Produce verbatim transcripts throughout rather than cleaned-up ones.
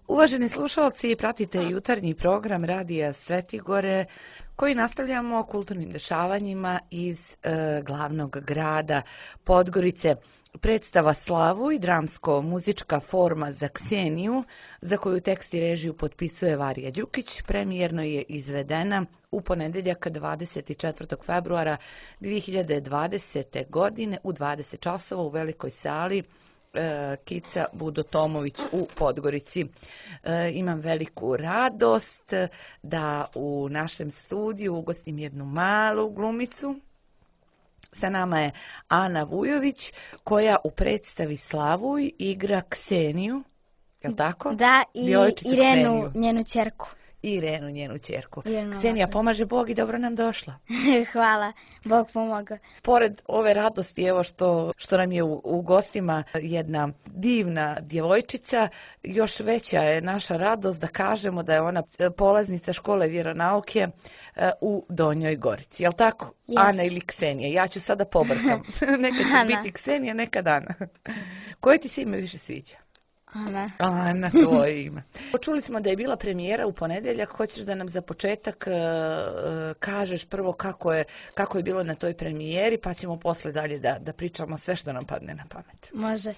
Uvaženi slušalci, pratite jutarnji program Radija Svetigore koji nastavljamo kulturnim dešavanjima iz e, glavnog grada Podgorice. Predstava Slavu i dramsko-muzička forma za Kseniju, za koju tekst i režiju potpisuje Varija Đukić, premijerno je izvedena u ponedeljak dvadeset četvrtog februara dvije hiljade dvadesete. godine u dvadeset časova u velikoj sali Kica Budo Tomović u Podgorici. E, imam veliku radost da u našem studiju ugostim jednu malu glumicu. Sa nama je Ana Vujović, koja u predstavi Slavuj igra Kseniju, je li tako? Da, i Irenu, njenu ćerku. Irenu, njenu ćerku. Ksenija, pomaže Bog i dobro nam došla. Hvala, Bog pomoga. Pored ove radosti, evo što, što nam je u, u gostima jedna divna djevojčica, još veća je naša radost da kažemo da je ona polaznica škole vjeronauke u Donjoj Gorici. Je li tako? Yes. Ana ili Ksenija? Ja ću sada pobrkam. Nekad će biti Ksenija, nekad Ana. Koje ti se ime više sviđa? Ana. Ana, tvoje ime. Čuli smo da je bila premijera u ponedeljak. Hoćeš da nam za početak uh, kažeš prvo kako je, kako je bilo na toj premijeri, pa ćemo posle dalje da, da pričamo sve što nam padne na pamet. Može.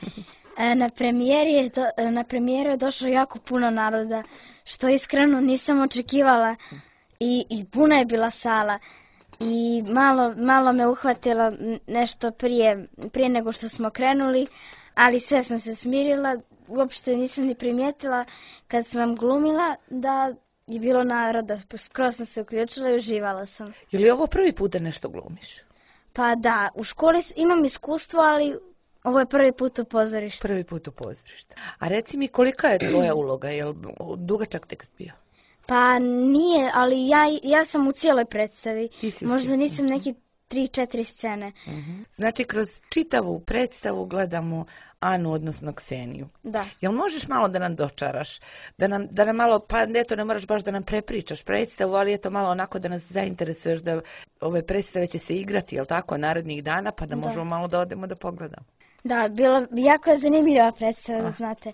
E, na, premijeri je do, na premijeru je došlo jako puno naroda, što iskreno nisam očekivala. I, i puna je bila sala. I malo, malo me uhvatilo nešto prije, prije nego što smo krenuli, ali sve sam se smirila. Uopšte nisam ni primijetila kad sam glumila da je bilo naroda. Skoro sam se uključila i uživala sam. Je li ovo prvi put da nešto glumiš? Pa da, u školi imam iskustvo, ali ovo je prvi put u pozorištu. Prvi put u pozorištu. A reci mi, kolika je tvoja uloga? Je li dugačak tekst bio? Pa nije, ali ja, ja sam u cijeloj predstavi. Možda nisam neki tri, četiri scene. Uh-huh. Znači, kroz čitavu predstavu gledamo Anu, odnosno Kseniju. Da. Jel možeš malo da nam dočaraš? Da nam, da nam malo, pa eto, ne moraš baš da nam prepričaš predstavu, ali eto malo onako da nas zainteresuješ da ove predstave će se igrati, jel tako, narednih dana, pa da, da. možemo malo da odemo da pogledamo. Da, bilo, jako je zanimljiva predstava, da znate.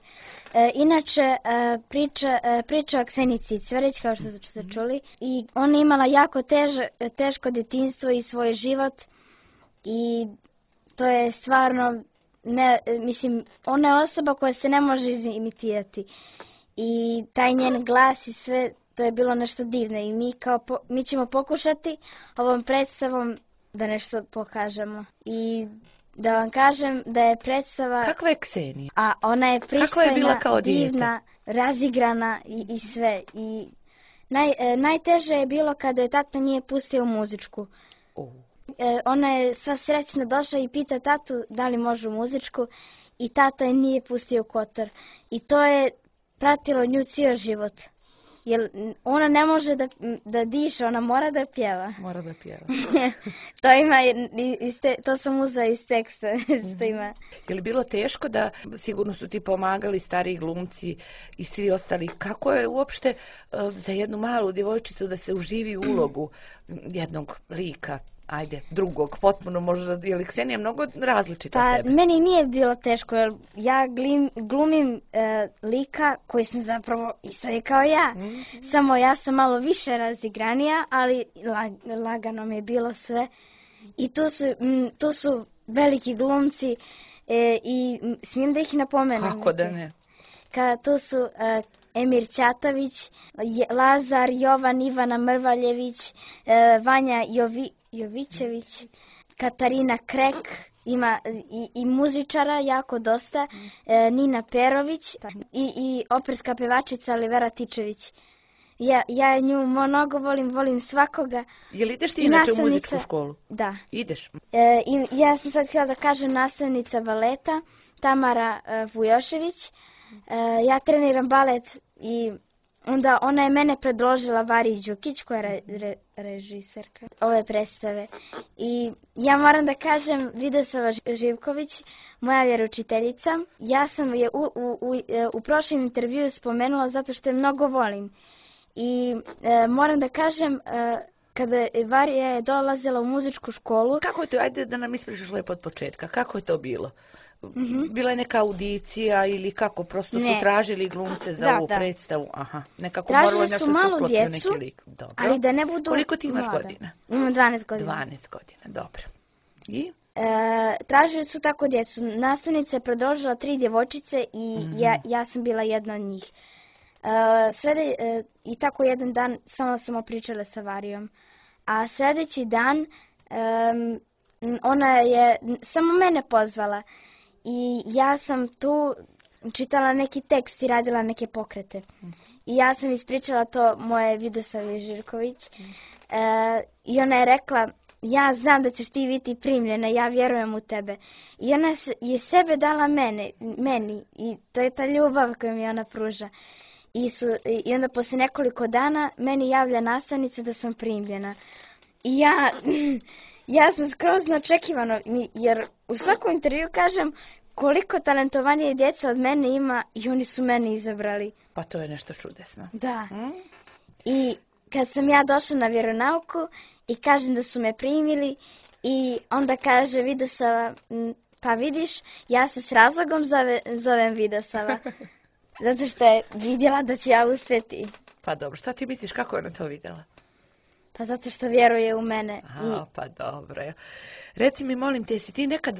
E, inače, e, priča, e, priča o Ksenici Cverić, kao što ste čuli, i ona imala jako tež, teško djetinjstvo i svoj život i to je stvarno, ne, mislim, ona je osoba koja se ne može imitirati i taj njen glas i sve, to je bilo nešto divno i mi, kao po, mi ćemo pokušati ovom predstavom da nešto pokažemo i da vam kažem da je predstava... Kakva je Ksenija? A ona je pristojna, je divna, razigrana i, i sve. I naj, e, najteže je bilo kada je tata nije pustio u muzičku. Oh. E, ona je sva srećna došla i pita tatu da li može u muzičku i tata je nije pustio u Kotor. I to je pratilo nju cijel život. Jer ona ne može da, da diše, ona mora da pjeva. Mora da pjeva. to ima, te, to sam uzela iz teksta. što ima. Je li bilo teško da, sigurno su ti pomagali stariji glumci i svi ostali, kako je uopšte uh, za jednu malu djevojčicu da se uživi u ulogu jednog lika? Ajde, drugog, potpuno možda, je li Ksenija mnogo različita pa, od tebe? Meni nije bilo teško, jer ja glim, glumim e, lika koji sam zapravo isto je kao ja. Mm-hmm. Samo ja sam malo više razigranija, ali lag, lagano mi je bilo sve. I tu su, m, tu su veliki glumci e, i m, smijem da ih napomenem. Kako da ne? Ka, tu su e, Emir Ćatović, Lazar, Jovan, Ivana Mrvaljević, e, Vanja Jovi, Jovićević, Katarina Krek, ima i, i muzičara jako dosta, e, Nina Perović i, i operska pevačica Olivera Tičević. Ja, ja nju mnogo volim, volim svakoga. Je li ideš ti inače u muzičku školu? Da. Ideš? E, i, ja sam sad htjela da kažem nastavnica baleta, Tamara e, Vujošević. E, ja treniram balet i onda ona je mene predložila Variji Đukić, koja je re, re, režiserka ove predstave. I ja moram da kažem, Vidosava Živković, moja vjeroučiteljica, ja sam je u, u, u, u prošlom intervjuu spomenula zato što je mnogo volim. I e, moram da kažem, e, kada je Varija dolazila u muzičku školu... Kako je to, ajde da nam ispričaš lepo od početka, kako je to bilo? Mhm. bila je neka audicija ili kako, prosto Ne. su tražili glumce za Da, ovu da. predstavu? Aha, nekako Tražili moralo je su nešto se malu uklopio djecu, neki lik. Dobro. Ali da ne budu Koliko ti imaš mlada. godina? Imam dvanaest godina. dvanaest godina, dobro. I? E, tražili su tako djecu. Nastavnica je predložila tri djevojčice i Mhm. ja, ja sam bila jedna od njih. E, slede, e, I tako jedan dan samo smo pričale sa Varijom. A sljedeći dan em, ona je samo mene pozvala i ja sam tu čitala neki tekst i radila neke pokrete. I ja sam ispričala to moje Vidosavi Živković e, i ona je rekla, ja znam da ćeš ti biti primljena, ja vjerujem u tebe. I ona je sebe dala mene, meni i to je ta ljubav koju mi ona pruža. I, su, I onda poslije nekoliko dana meni javlja nastavnica da sam primljena. I ja, ja sam skroz neočekivano, jer u svakom intervju kažem koliko talentovanije djeca od mene ima i oni su mene izabrali. Pa to je nešto čudesno. Da. Hmm? I kad sam ja došla na vjeronauku i kažem da su me primili i onda kaže Vidosava, pa vidiš, ja se s razlogom zove, zovem Vidosava. Zato što je vidjela da ću ja uspjeti. Pa dobro, šta ti misliš, kako je ona to vidjela? Pa zato što vjeruje u mene. Aha, pa dobro. Reci mi, molim te, jesi ti nekad,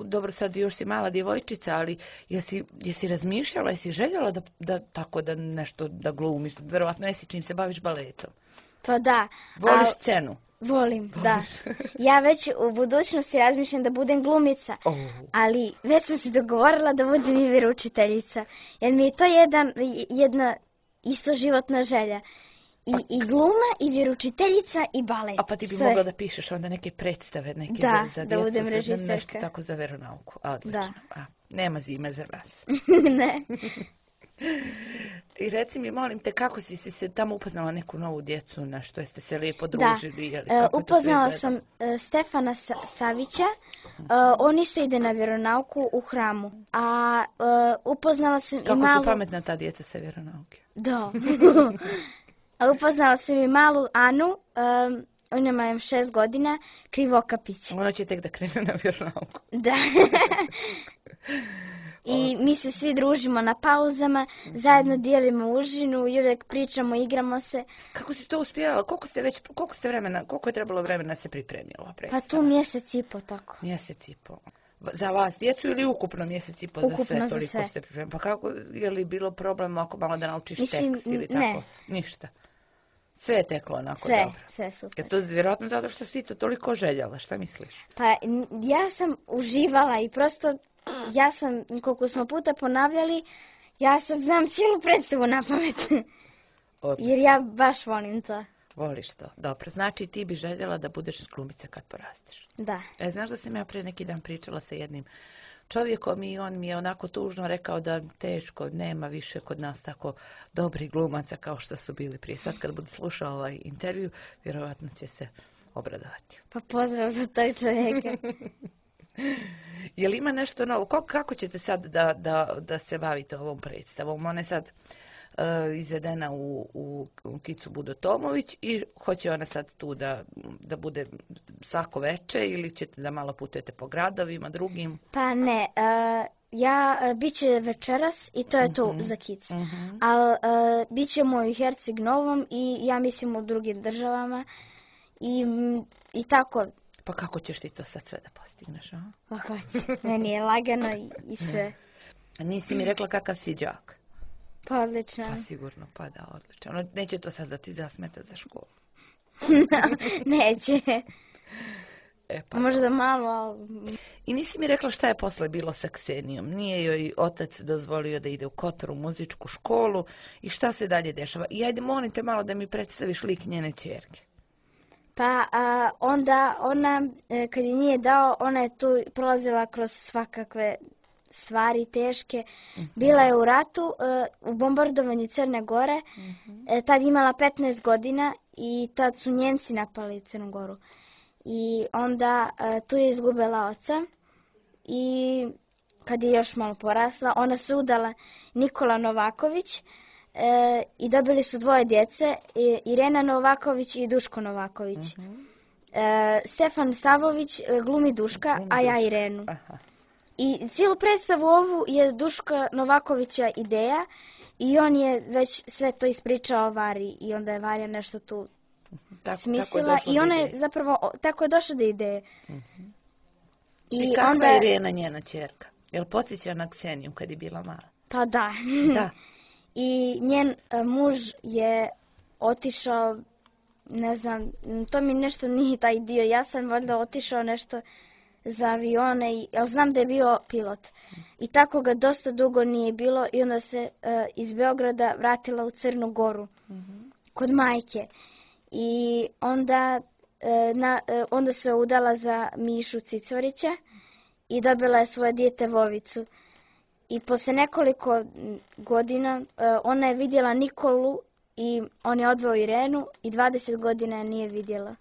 dobro sad još si mala djevojčica, ali jesi, jesi razmišljala, jesi željela da, da tako da nešto da glumiš, verovatno jesi čim se baviš baletom? Pa da. Voliš a, scenu? Volim, da. Ja već u budućnosti razmišljam da budem glumica, oh. ali već sam se dogovorila da budem i vjeroučiteljica, jer mi je to jedan, jedna isto životna želja. I, pa, i gluma, i vjeroučiteljica, i balet. A pa ti bi sve. Mogla da pišeš onda neke predstave, neke da, za, za da budem djecu, režiserka. Nešto tako za veronauku. Odlično. Da. A, nema zime za nas. Ne. I reci mi, molim te, kako si, si se tamo upoznala neku novu djecu, na što jeste se lijepo družili? Da, Jeli, kako uh, upoznala sam uh, Stefana Sa Savića, uh, on isto ide na vjeronauku u hramu, a uh, upoznala sam kako i malu... Kako su pametna ta djeca sa vjeronauke? Da. A upoznala sam i malu Anu, um, ona ima šest godina, Krivokapić. Ona će tek da krene na vjeronauku. Da. I mi se svi družimo na pauzama, zajedno dijelimo užinu i uvijek pričamo, igramo se. Kako si to uspjela? Koliko ste već, koliko ste vremena, koliko je trebalo vremena se pripremiti ova predstava? Pa tu mjesec i po tako. Mjesec i po. Za vas djecu ili ukupno mjesec i po ukupno za sve? Toliko za sve. Ste pripremili. Pa kako, je li bilo problem ako malo da naučiš Mislim, tekst ili ne. tako? Ništa. Sve je teklo onako sve, dobro. Sve, super. Je to vjerojatno zato što si to toliko željela, šta misliš? Pa ja sam uživala i prosto ja sam, koliko smo puta ponavljali, ja sad znam cijelu predstavu na pamet. Jer ja baš volim to. Voliš to, dobro. Znači ti bi željela da budeš glumica kad porasteš. Da. E, znaš da sam ja pre neki dan pričala sa jednim čovjekom i on mi je onako tužno rekao da teško, nema više kod nas tako dobrih glumaca kao što su bili prije. Sad kad budu slušao ovaj intervju, vjerovatno će se obradovati. Pa pozdrav za toj čovjeka. Je li ima nešto novo? Kako, kako ćete sad da, da, da se bavite ovom predstavom? Ona je sad uh, izvedena u, u, u Kicu Budotomović i hoće ona sad tu da, da bude svako veče ili ćete da malo putujete po gradovima drugim? Pa ne, uh, ja uh, bit će večeras i to je uh-huh. to za Kicu. Uh-huh. Ali uh, bit ćemo u Herceg Novom i ja mislim u drugim državama i, i tako. Pa kako ćeš ti to sad sve da postigneš, a? Pa hoće, meni je lagano i, i sve. A nisi mi rekla kakav si đak? Pa odlično. Pa sigurno, pa da, odlično. Ono, neće to sad da ti zasmeta za školu? Neće. E, pa možda malo, ali... I nisi mi rekla šta je posle bilo sa Ksenijom? Nije joj otac dozvolio da ide u Kotor u muzičku školu i šta se dalje dešava? I ajde, molim te malo da mi predstaviš lik njene ćerke. Pa a, onda ona, kad je nije dao, ona je tu prolazila kroz svakakve stvari teške. Uh-huh. Bila je u ratu, u bombardovanju Crne Gore, uh-huh. tad imala petnaest godina i tad su Njemci napali Crnu Goru. I onda tu je izgubila oca i kad je još malo porasla, ona se udala Nikola Novaković, E, i dobili su dvoje djece, Irena Novaković i Duško Novaković. Uh-huh. e, Stefan Savović glumi Duška, glumi a ja Irenu. Aha. I cijelu predstavu ovu je Duška Novakovića ideja i on je već sve to ispričao Vari i onda je Varja nešto tu tako, smislila tako i ona je zapravo, tako je došla do ideje. Uh-huh. I, I kakva onda... je Irena njena ćerka? Jel podsjeća na Kseniju kad je bila mala? Pa da. Da. I njen uh, muž je otišao, ne znam, to mi nešto nije taj dio, ja sam valjda otišao nešto za avione, i, ja znam da je bio pilot. I tako ga dosta dugo nije bilo i onda se uh, iz Beograda vratila u Crnu Goru, uh-huh. kod majke. I onda, uh, na, uh, onda se udala za Mišu Cicvarića i dobila je svoje dijete Vovicu. I posle nekoliko godina uh, ona je vidjela Nikolu i on je odveo Irenu i dvadeset godina je nije vidjela.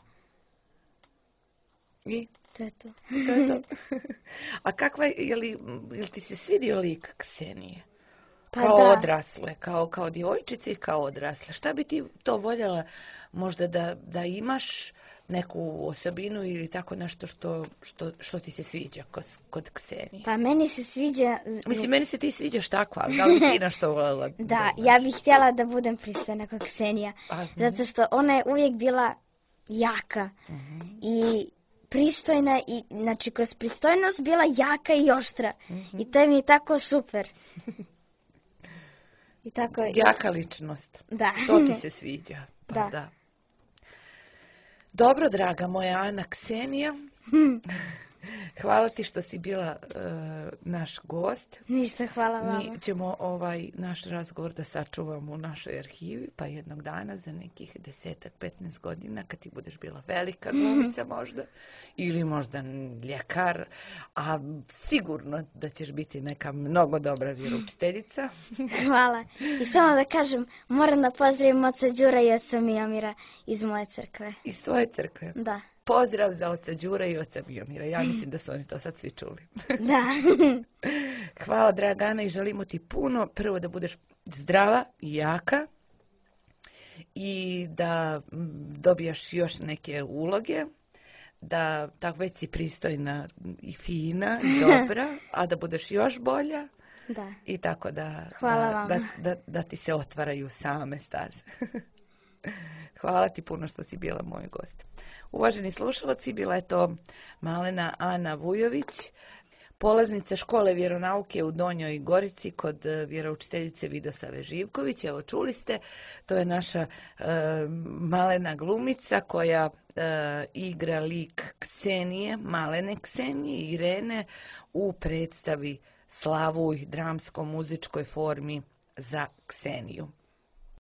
I? To je to. To je to. A kakva je, je li, je li ti se svidio lik Ksenije? Pa kao da. odrasle, kao, kao djevojčice i kao odrasle. Šta bi ti to voljela možda da, da imaš neku osobinu ili tako nešto što, što, što ti se sviđa kod, kod Ksenije? Pa meni se sviđa... Mislim, meni se ti sviđaš takva, da li ti nešto voljela? Da, da, ja bih htjela da budem pristojna kod Ksenija. A, zato što ona je uvijek bila jaka. Uh-huh. I pristojna, i znači kroz pristojnost bila jaka i oštra. Uh-huh. I to mi je tako super. I tako... Jaka ličnost. Da. To ti se sviđa. Pa da. da. Dobro, draga moja Ana Ksenija. Hvala ti što si bila uh, naš gost. Ništa, hvala vama. Mi ćemo ovaj naš razgovor da sačuvamo u našoj arhivi, pa jednog dana za nekih desetak, petnaest godina, kad ti budeš bila velika glumica možda, ili možda ljekar, a sigurno da ćeš biti neka mnogo dobra vjeroučiteljica. Hvala. I samo da kažem, moram da pozdravim oca Đura i oca Mijomira iz moje crkve. Iz svoje crkve? Da. Pozdrav za oca Đura i oca Mijomira. Ja mislim da su oni to sad svi čuli. Da. Hvala, draga Ana, i želimo ti puno. Prvo da budeš zdrava i jaka i da dobijaš još neke uloge, da tako već si pristojna i fina i dobra, a da budeš još bolja. Da. I tako da, hvala da, vam. da, da, da ti se otvaraju same staze. Hvala ti puno što si bila moj gost. Uvaženi slušalci, bila je to malena Ana Vujović, polaznica škole vjeronauke u Donjoj Gorici kod vjeroučiteljice Vidosave Živković. Evo, čuli ste, to je naša e, malena glumica koja e, igra lik Ksenije, malene Ksenije, Irene, u predstavi Slavuj, dramsko-muzičkoj formi za Kseniju.